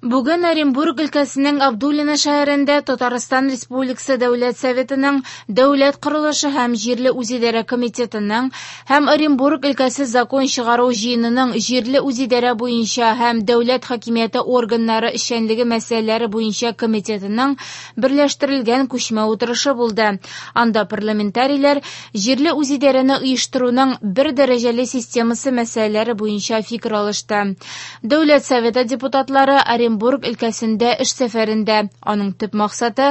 Бүген Оренбург өлкәсенең Абдулино шәһәрендә Татарстан Республикасы Дәүләт Советының Дәүләт корылышы һәм җирле үзидарә комитетының һәм Оренбург өлкәсе Закон чыгару җыенының җирле үзидарә буенча һәм дәүләт хакимияте органнары эшчәнлеге мәсьәләләре буенча комитетының берләштерелгән күчмә утырышы булды. Анда парламентарийлар җирле үзидарәне оештыруның бер дәрәҗәле системасы мәсьәләләре буенча фикер алышты. Дәүләт Советы депутатлары Оренбург өлкәсендә эш сәфәрендә. Аның төп максаты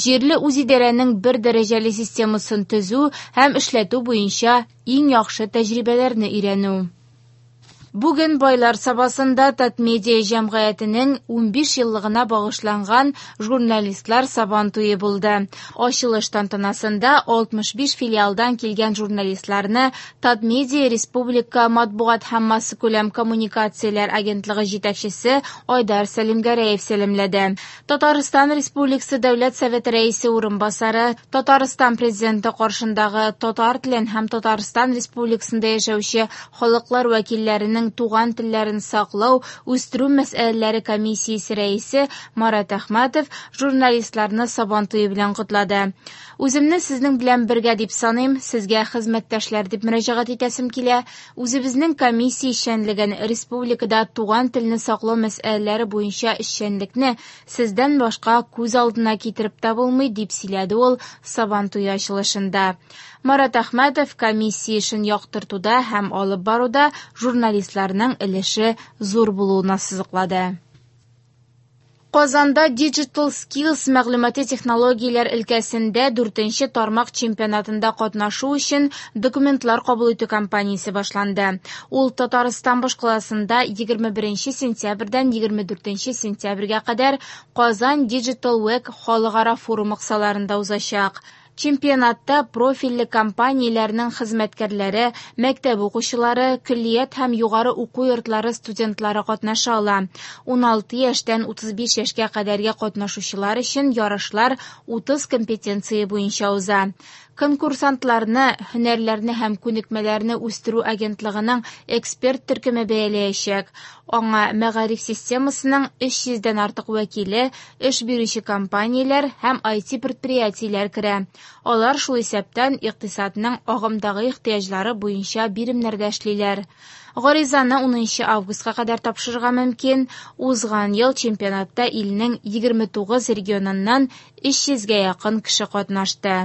җирле үзидарәнең бер дәрәҗәле системасын төзү һәм эшләтү буенча иң яхшы тәҗрибәләрне өйрәнү. Бүген Байлар Сабасында Татмедиа җәмгыятенең 15 еллыгына багышланган журналистлар сабан туе булды. Ачылыш тантанасында 65 филиалдан килгән журналистларны Татмедиа республика матбугат һәм массакүләм коммуникацияләр агентлыгы җитәкчесе Айдар Сәлимгәрәев сәламләде. Татарстан Республикасы Дәүләт Советы рәисе урынбасары, Татарстан Президенты каршындагы татар телен һәм Татарстан Республикасында яшәүче халыклар вәкилләренең туган телләрен саклау, үстерү мәсьәләләре комиссиясе рәисе Марат Әхмәтов журналистларны Сабан туе белән котлады. Үземне сезнең белән бергә дип саныйм, сезгә хезмәттәшләр дип мөрәҗәгать итәсем килә. Үзебезнең комиссия эшчәнлеген, республикада туган телне саклау мәсьәләләре буенча эшчәнлекне сездән башка күз алдына китереп тә булмый, дип сөйләде ул Сабан туе ачылышында. Марат Әхмәтов комиссия эшен яктыртуда һәм алып баруда журналистларның өлеше зур булуын ассызыклады. Казанда Digital Skills мәгълүмати технологияләр өлкәсендә 4нче тармак чемпионатында катнашу өчен документлар кабул итү кампаниясе башланды. Ул Татарстан башкаласында 21 сентябрьдән 24 сентябрьгә кадәр Казан Digital Week халыкара форумы кысаларында узачак. Чемпионатта профильле компанияләрнең хезмәткәрләре, мәктәп укучылары, көллият һәм югары уку йортлары студентлары катнаша ала. 16 яшьтән 35 яшькә кадәрге катнашучылар өчен ярышлар 30 компетенция буенча уза. Конкурсантларны, һөнәрләрне һәм күнекмәләрне үстерү агентлыгының эксперт төркеме бәяләячәк. Аңа мәгариф системасының 300дән артык вәкиле, эш бирүче компанияләр һәм IT предприятиеләр керә. Алар шул исәптән икътисадның агымдагы ихтыяҗлары буенча биремнәрдә эшлиләр. Гаризаны 10 августка кадәр тапшырырга мөмкин. Узган ел чемпионатта илнең 29 регионыннан 300гә якын кеше катнашты.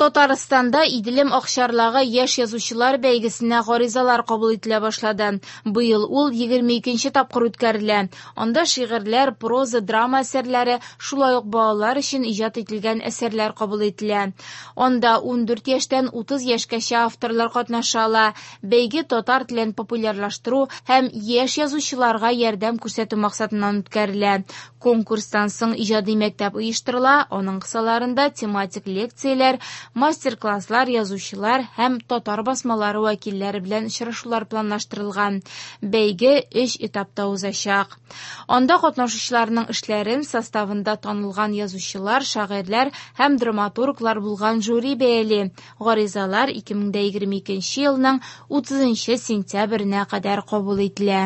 Татарстанда Иделем акчарлагы яшь язучылар бәйгесенә гаризалар кабул ителә башлады. Быел ул 22нче тапкыр үткәрелә. Анда шигырьләр, проза, драма әсәрләре, шулай ук балалар өчен иҗат ителгән әсәрләр кабул ителә. Анда 14 яшьтән 30 яшькәчә авторлар катнаша ала. Бәйге татар телен популярлаштыру һәм яшь язучыларга ярдәм күрсәтү максатыннан үткәрелә. Конкурстан соң иҗади мәктәп оештырыла, аның кысаларында тематик лекцияләр, мастер-класслар, язучылар һәм татар басмалары вәкилләре белән очрашулар планлаштырылган. Бәйге 3 этапта узачак. Анда катнашучыларның эшләрен составында танылган язучылар, шагыйрьләр һәм драматурглар булган жюри бәяли. Гаризалар 2022 елның 30 сентябренә кадәр кабул ителә.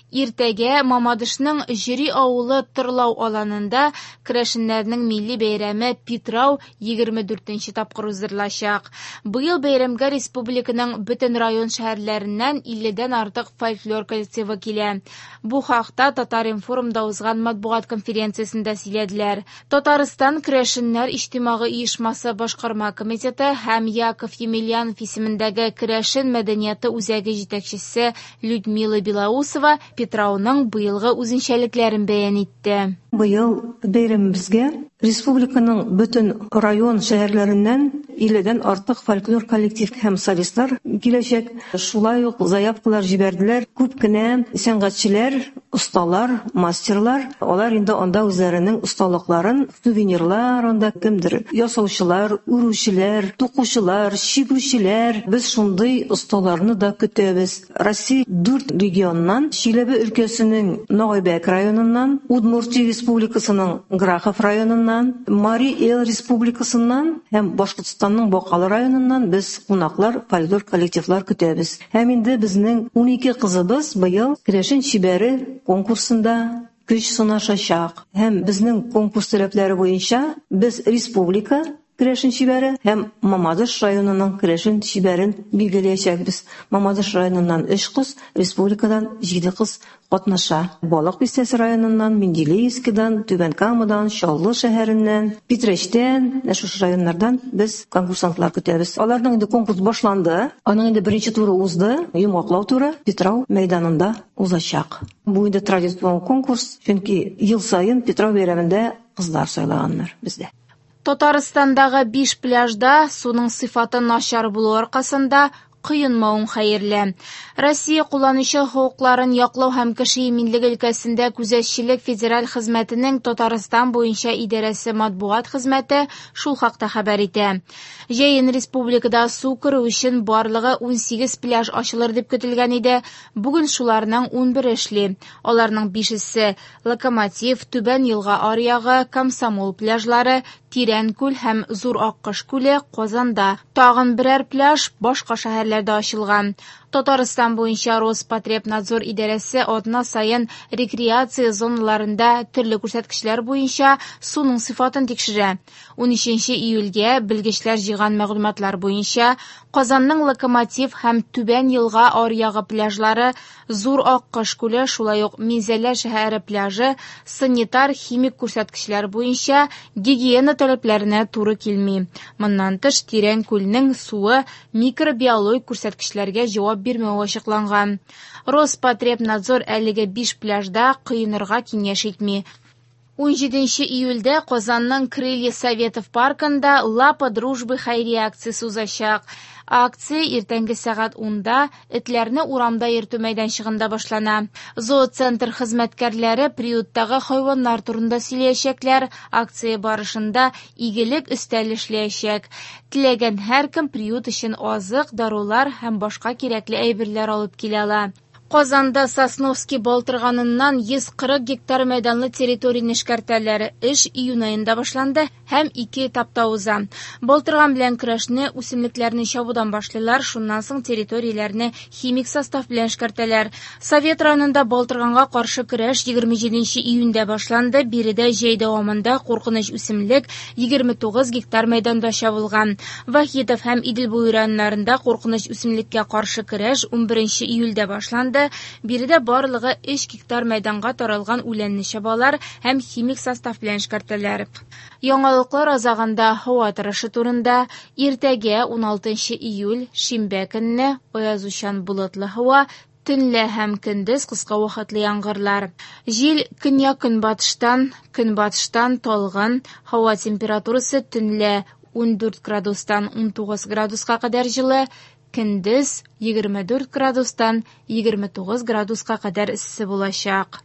Иртәгә Мамадышның Җөри авылы Тырлау аланында керәшеннәрнең милли бәйрәме Питрау 24нче тапкыр уздырылачак. Быел бәйрәмгә республиканың бөтен район шәһәрләреннән 50дән артык фольклор коллективы килә. Бу хакта Татар-информда узган матбугат конференциясендә сөйләделәр. Татарстан керәшеннәр иҗтимагый оешмасы башкарма комитеты һәм Яков Емельянов исемендәге керәшен мәдәнияте үзәге җитәкчесе Людмила Белоусова Питрауның быелгы үзенчәлекләрен бәян итте. Быел бәйрәмебезгә республиканың бөтен район шәһәрләреннән 50дән артык фольклор коллектив һәм солистлар киләчәк. Шулай ук заявкалар җибәрделәр. Күп кенә сәнгатьчеләр, осталар, мастерлар, алар инде анда үзләренең осталыкларын, сувенирлар анда кемдер ясаучылар, үрүчеләр, тукучылар, чигүчеләр. Без шундый осталарны да көтәбез. Россия 4 регионнан, Чиләбе өлкәсенең Ногайбәк районыннан, Удмуртия Республикасының Грахов районыннан, Мари Эл Республикасыннан һәм Башкортстанның Бакалы районыннан без кунаклар, фольклор коллективлар көтәбез. Һәм инде безнең 12 кызыбыз быел Керәшен чибәре конкурсында көч сынашачак. Һәм безнең конкурс таләпләре буенча без республика керәшен чибәре һәм Мамадыш районының керәшен чибәрен билгеләячәкбез. Мамадыш районыннан 3 кыз, республикадан 7 кыз катнаша. Балык Бистәсе районыннан, Менделеевскидан, Түбән Камадан, Чаллы шәһәреннән, Питрәчтән, менә шушы районнардан без конкурсантлар көтәбез. Аларның инде конкурс башланды. Аның инде беренче туры узды, йомгаклау туры Питрау мәйданында узачак. Бу инде традицион конкурс, чөнки ел саен Питрау бәйрәмендә кызлар сайлаганнар бездә. Татарстандагы 5 пляжда суның сыйфаты начар булу аркасында коенмавың хәерле. Россия кулланучы хокукларын яклау һәм кеше иминлеге өлкәсендә күзәтчелек федераль хезмәтенең Татарстан буенча идарәсе матбугат хезмәте шул хакта хәбәр итә. Җәен республикада су керү өчен барлыгы 18 пляж ачылыр дип көтелгән иде. Бүген шуларның 11 эшли. Аларның 5-се Локомотив, Түбән Елга аръягы, Комсомол пляжлары, Тирән күл һәм Зур Аккош күле Казанда. Тагын берәр пляж башка шәһәрләрдә ачылган. Татарстан буенча Роспотребнадзор идарәсе атна саен рекреация зоналарында төрле күрсәткечләр буенча суның сыйфатын тикшерә. 13 июльгә белгечләр җыйган мәгълүматлар буенча Казанның Локомотив һәм Түбән Елга аръягы пляжлары, Зур Аккош күле, шулай ук Минзәлә шәһәре пляжы санитар-химик күрсәткечләр буенча гигиена таләпләренә туры килми. Моннан тыш, Тирән күлнең суы микробиологик күрсәткечләргә җавап бирмәве ачыкланган. Роспотребнадзор әлеге 5 пляжда коенырга киңәш итми. 17 июльдә Казанның Крылья Советов паркында Лапа дружбы хәйрия акциясе узачак. Акция иртәнге сәгать 10-да этләрне урамда йөртү мәйданчыгында башлана. Зооцентр хезмәткәрләре приюттагы хайваннар турында сөйләячәкләр. Акция барышында игелек өстәл эшләячәк. Теләгән һәркем приют өчен азык, дарулар һәм башка кирәкле әйберләр алып килә ала. Казанда Сосновский балтырганыннан 140 гектар мәйданлы территорияне эшкәртәләр. Эш июнь аенда башланды һәм ике этапта уза. Балтырган белән көрәшне үсемлекләрне чабудан башлыйлар, шуннан соң территорияләрне химик состав белән эшкәртәләр. Совет районында балтырганга каршы көрәш 27 июньдә башланды. Биредә җәй дәвамында куркыныч үсемлек 29 гектар мәйданда чабылган. Вахитов һәм Идел буе районнарында куркыныч үсемлеккә каршы көрәш 11 июльдә башланды. Биредә барлыгы 3 гектар мәйданга таралган үләнне чабалар һәм химик состав белән эшкәртәләр. Яңалыклар азагында һава торышы турында. Иртәгә 16 июль шимбә көнне аязучан болытлы һава, төнлә һәм көндез кыска вакытлы яңгырлар. Җил көньяк-көнбатыштан, көнбатыштан талгын, һава температурасы төнлә 14 градустан 19 градуска кадәр җылы, көндез 24 градустан 29 градуска кадәр эссе булачак.